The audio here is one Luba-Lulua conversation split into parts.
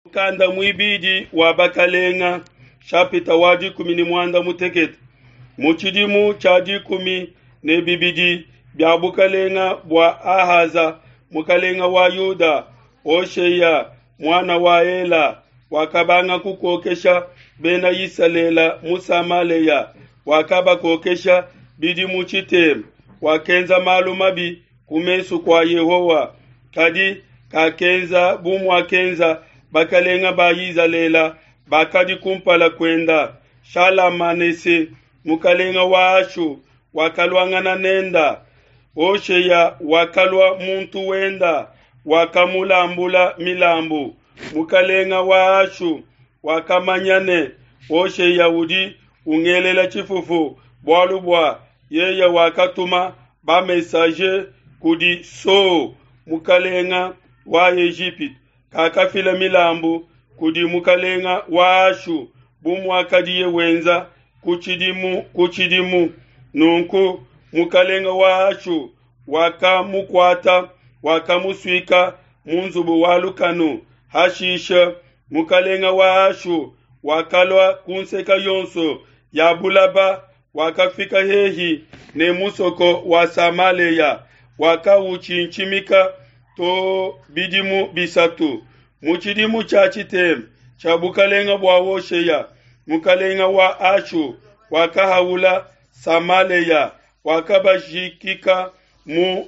Mukanda muibidi wa Bakalenga, nshapita wa 16. Mu tshidimu tshia 12 bia bukalenga bua Ahaza, mukalenga wa Yuda, Hosheya, muana wa Ela, wakabanga kukokesha bena Isalele mu Samalea. Wakabakokesha bidimu tshitema. Wakenza malu mabi ku mesu kua Yehowa, kadi kakenza bu muakenza bakalenga ba Izalele bakadi kumpala kuenda. Shalamanese, mukalenga wa Ashu, wakaluangana nenda. Hosheya wakalua muntu wenda, wakamulambula milambu. Mukalenga wa Ashu wakamanya ne Hosheya udi ungelela tshifufu, bualu bua yeye wakatuma ba-messager kudi So, mukalenga wa Ejipitu. Kakafila milambu kudi mukalenga wa Ashu bu muakadiye wenza ku tshidimu ku tshidimu. Nunku mukalenga wa Ashu wakamukuata, wakamusuika mu nzubu wa lukanu. Hashishe mukalenga wa Ashu wakalua ku nseka yonso ya bulaba, wakafika hehi ne musoko wa Samalea, wakawutshintshimika to bidimu bisatu. Mu tshidimu tshia tshitema tshia bukalenga bua Hosheya, mukalenga wa Ashu wakahaula Samalea, wakabajikika mu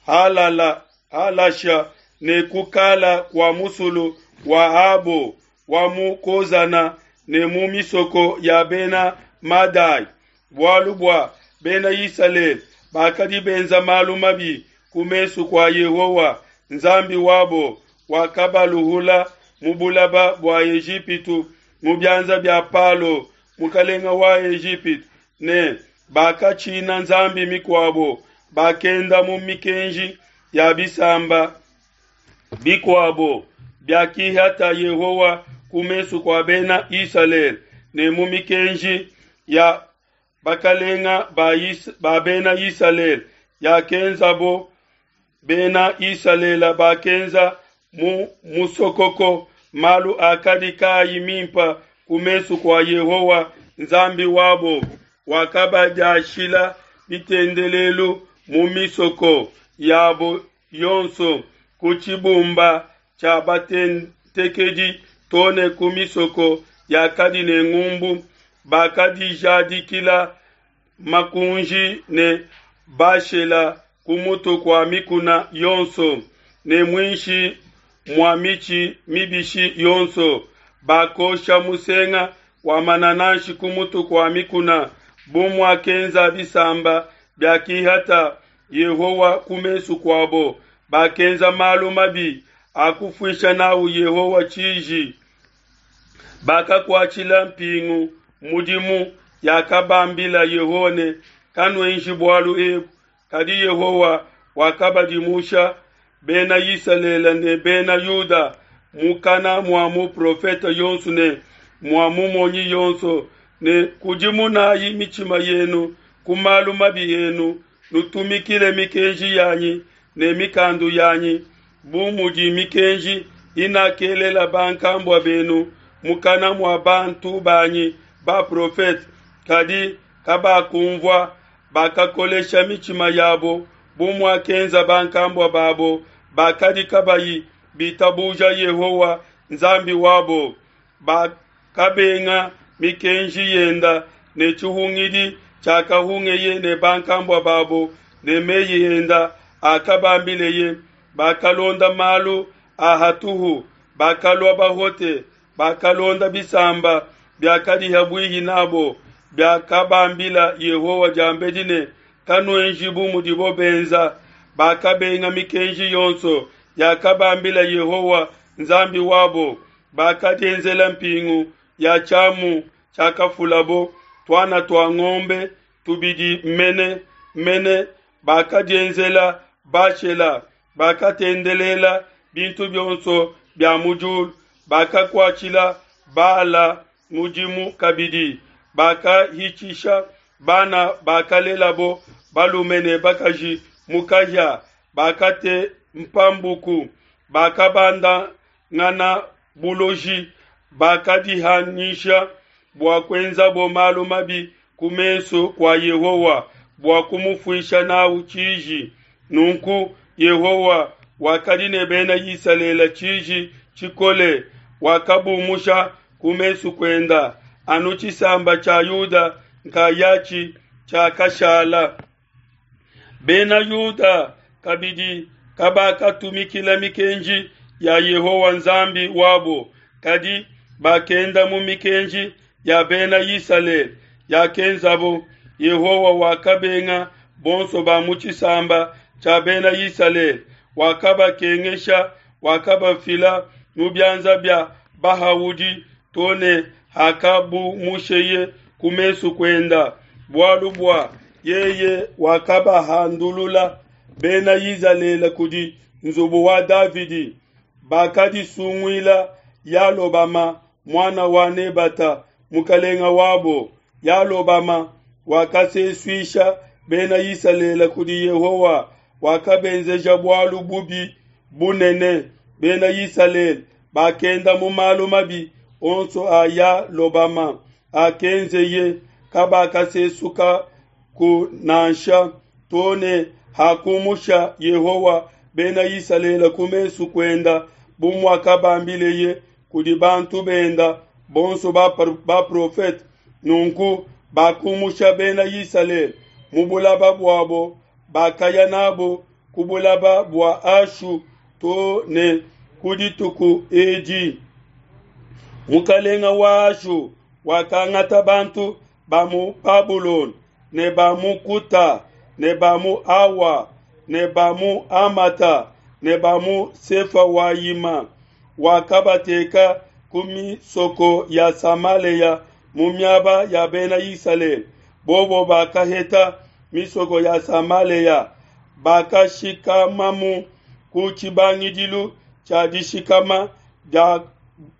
Halala, Halasha ne kukala kua musulu wa Abo wa mu Kozana ne mu misoko ya bena Madai, bualu bua bena Isalele bakadi benza malu mabi ku mesu kua Yehowa Nzambi wabo, wakabaluhula mu bulaba bua Ejipitu mu bianza bia Palo mukalenga wa Ejipitu, ne bakatshina nzambi mikuabo, bakenda mu mikenji ya bisamba bikuabo biakihata Yehowa ku mesu kua bena Isalele, ne mu mikenji ya bakalenga ba, Is ba bena Isalele yakenzabo. Bena Isalele bakenza mu musokoko malu akadi kaayi mimpa ku mesu kua Yehowa Nzambi wabo, wakabadiashila bitendelelu mu misoko yabo yonso, ku tshibumba tshia batentekedi to ne ku misoko yakadi ne ngumbu. Bakadijadikila makunji ne Bashela ku mutu kua mikuna yonso ne muinshi mua mitshi mibishi yonso. Bakosha musenga wa manananshi ku mutu kua mikuna, bu muakenza bisamba biakihata Yehowa ku mesu kuabo. Bakenza malu mabi akufuisha nawu Yehowa tshiji. Bakakuatshila mpingu mudimu yakabambila Yehowa ne, Kanuenji bualu ebu. Kadi Yehowa wakabadimusha Bena Isalele ne Bena Yuda mukana mua muprofete yonso ne mua mumonyi yonso ne, Kudimunayi mitshima yenu ku malu mabi enu, nutumikile mikenji yanyi ne mikandu yanyi, bu mudi mikenji inakelela bankambua benu mukana mua bantu banyi baprofete. Kadi kabakumvua, bakakolesha mitshima yabo bu muakenza bankambua babo bakadi kabayi bitabuja Yehowa Nzambi wabo. Bakabenga mikenji yenda ne tshihungidi tshiakahungeye ne bankambua babo ne meyi enda akabambileye. Bakalonda malu a hatuhu, bakalua bahote, bakalonda bisamba biakadi ha buihi nabo, biakabambila Yehowa diambedi ne, Kanuenji bu mudibo benza. Bakabenga mikenji yonso yakabambila Yehowa Nzambi wabo, bakadienzela mpingu ya tshiamu tshiakafulabo, tuana tua ngombe tubidi mene mene, bakadienzela Bashela, bakatendelela bintu bionso bia mu diulu, bakakuatshila Bala mudimu kabidi, bakahitshisha bana bakalelabo balume ne bakaji mu kahia, bakatempa mbuku, bakabandangana. buloji, bakadihanyisha bua kuenzabo malu mabi ku mesu kua Yehowa bua kumufuisha n'au tshiji. Nunku Yehowa wakadi ne Bena Isalele tshiji tshikole, wakabumusha ku mesu kuenda, anu tshisamba tshia Yuda nkayatshi tshiakashala. Bena Yuda kabidi kabakatumikila mikenji ya Yehowa Nzambi wabo, kadi bakenda mu mikenji ya Bena Isalele yakenzabo. Yehowa wakabenga bonso ba mu tshisamba tshia Bena Isalele, wakabakengesha, wakabafila mu bianza bia bahaudi to ne hakabumusheye ku mesu kuenda, bualu bua yeye wakabahandulula Bena Izalele kudi nzubu wa Davidi. Bakadisunguila Yalobama muana wa Nebata mukalenga wabo. Yalobama wakasesuisha Bena Isalele kudi Yehowa, wakabenzeja bualu bubi bunene. Bena Isalele bakenda mu malu mabi onso a Yalobama akenzeye, kabakasesuka ku nansha to ne hakumusha Yehowa Bena Isalele ku mesu kuenda, bu muakabambileye kudi bantu benda bonso baprofete. Nunku bakumusha Bena Isalele mu bulaba buabo, bakaya nabo ku bulaba bua Ashu to ne ku dituku edi. Mukalenga wa Ashu wakangata bantu ba mu Babulona ne ba mu Kuta ne ba mu Awa ne ba mu Amata ne ba mu Sefawayima, wakabateka ku misoko ya Samalea mu miaba ya Bena Isalele. Bobo bakaheta misoko ya Samalea, bakashikamamu ku tshibangidilu tshia dishikama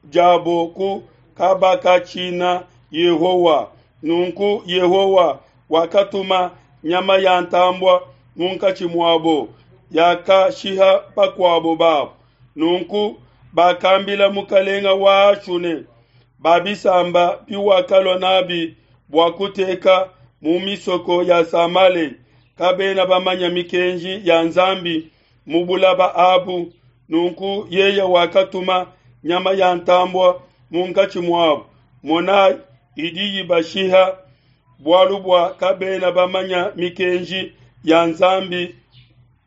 diabo ku kabakatshina Yehowa. Nunku Yehowa wakatuma nyama ya ntambua munkatshi muabo, yakashiha bakuabo babo. Nunku bakambila mukalenga wa Ashu ne, ba bisamba biwakalua nabi bua kuteka mu misoko ya Samale kabena bamanya mikenji ya Nzambi mu bulaba abu. Nunku yeye wakatuma nyama ya ntambua munkatshi muabo, monai, idi ibashiha, bualu bua kabena bamanya mikenji ya Nzambi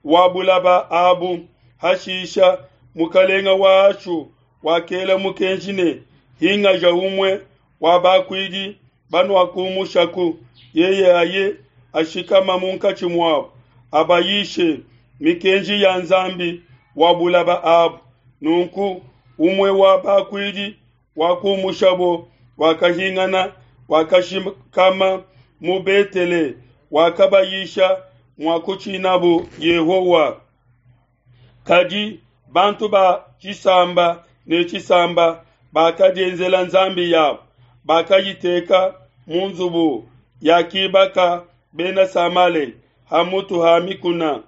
wa bulaba abu. Hashisha mukalenga wa Ashu wakela mukenji ne, hingaja umue wa bakuidi banuakumushaku, yeye aye ashikama munkatshi muabo, abayishe mikenji ya Nzambi wa bulaba abu. Nunku umue wa bakuidi wakumushabo wakahingana, wakashikama mu Betele, wakabayisha mua kutshinabo Yehowa. Kadi bantu ba tshisamba ne tshisamba bakadienzela nzambi yabo, bakayiteka mu nzubu yakibaka Bena Samale ha mutu ha mikuna.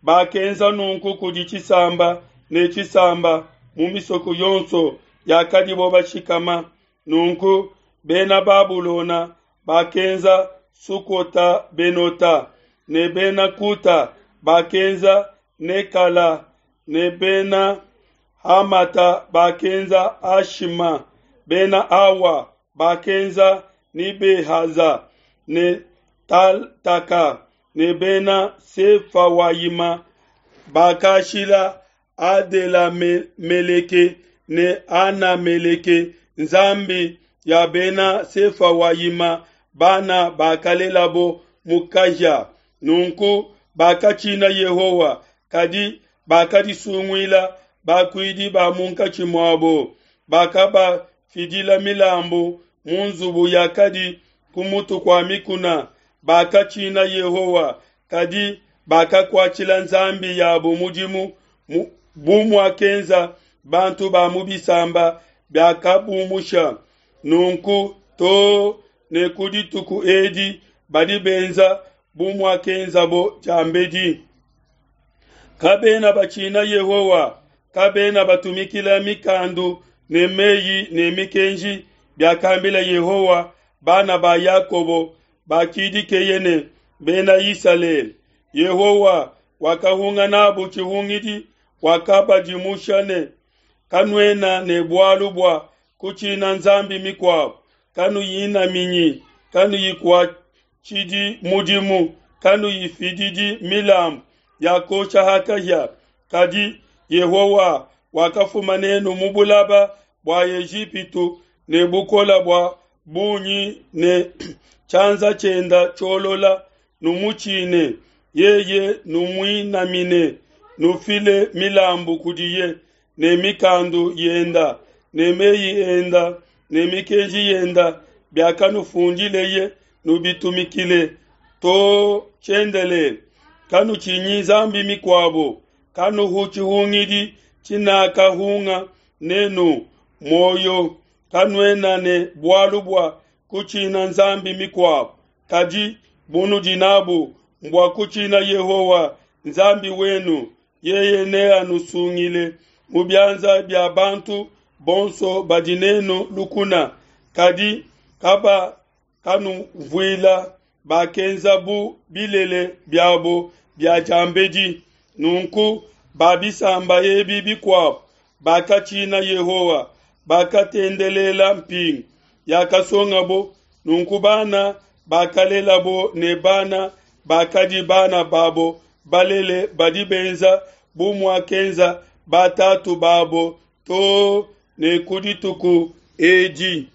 Bakenza nunku kudi tshisamba ne tshisamba mu misoko yonso yakadibo bashikama. Nunku Bena Babulona bakenza Sukota Benota, ne Bena Kuta bakenza Nekala, ne Bena Hamata bakenza Ashima, Bena Awa bakenza Nibehaza ne Taltaka, ne Bena Sefawayima bakashila Adelameleke ne Anameleke nzambi ya Bena Sefawayima bana bakalelabo mu kahia. Nunku bakatshina Yehowa, kadi bakadisunguila bakuidi ba munkatshi muabo, bakabafidila milambu mu nzubu yakadi ku mutu kua mikuna. Bakatshina Yehowa, kadi bakakuatshila nzambi yabo mudimu bu muakenza bantu ba mu bisamba biakabumusha. Nunku too ne ku dituku edi badi benza bu muakenzabo diambedi. Kabena batshina Yehowa, kabena batumikila mikandu ne meyi ne mikenji biakambila Yehowa bana ba Yakobo bakidikeye ne, Bena Isalele. Yehowa wakahunga n'abo tshihungidi, wakabadimusha ne, Kanuena ne bualu bua kutshina nzambi mikuabo, kanuyinaminyi, kanuyikuatshidi mudimu, kanuyifididi milambu ya kuosha ha kahia. Kadi Yehowa wakafuma n'enu mu bulaba bua Ejipitu ne bukole bua bungi ne tshianza tshienda tshiolola, numutshine yeye, numuinamine, nufile milambu kudiye ne mikandu yenda ne meyi enda ne mikenji yenda biakanufundileye, nubitumikile to tshiendelele. Kanutshinyi nzambi mikuabo, kanuhu tshihungidi tshinakahunga nenu muoyo, kanuena ne bualu bua kutshina nzambi mikuabo, kadi bunudi nabu mbua kutshina Yehowa Nzambi wenu, yeye neanusungile mu bianza bia bantu bonso badi nenu lukuna. Kadi kabakanunvuila, bakenza bu bilele biabo bia diambedi. Nunku ba bisamba ebi bikuabo bakatshina Yehowa, bakatendelela mpingu yakasongabo. Nunku bana bakalelabo ne bana bakadi bana babo balele badi benza bu muakenza batatu babo to ne ku dituku edi.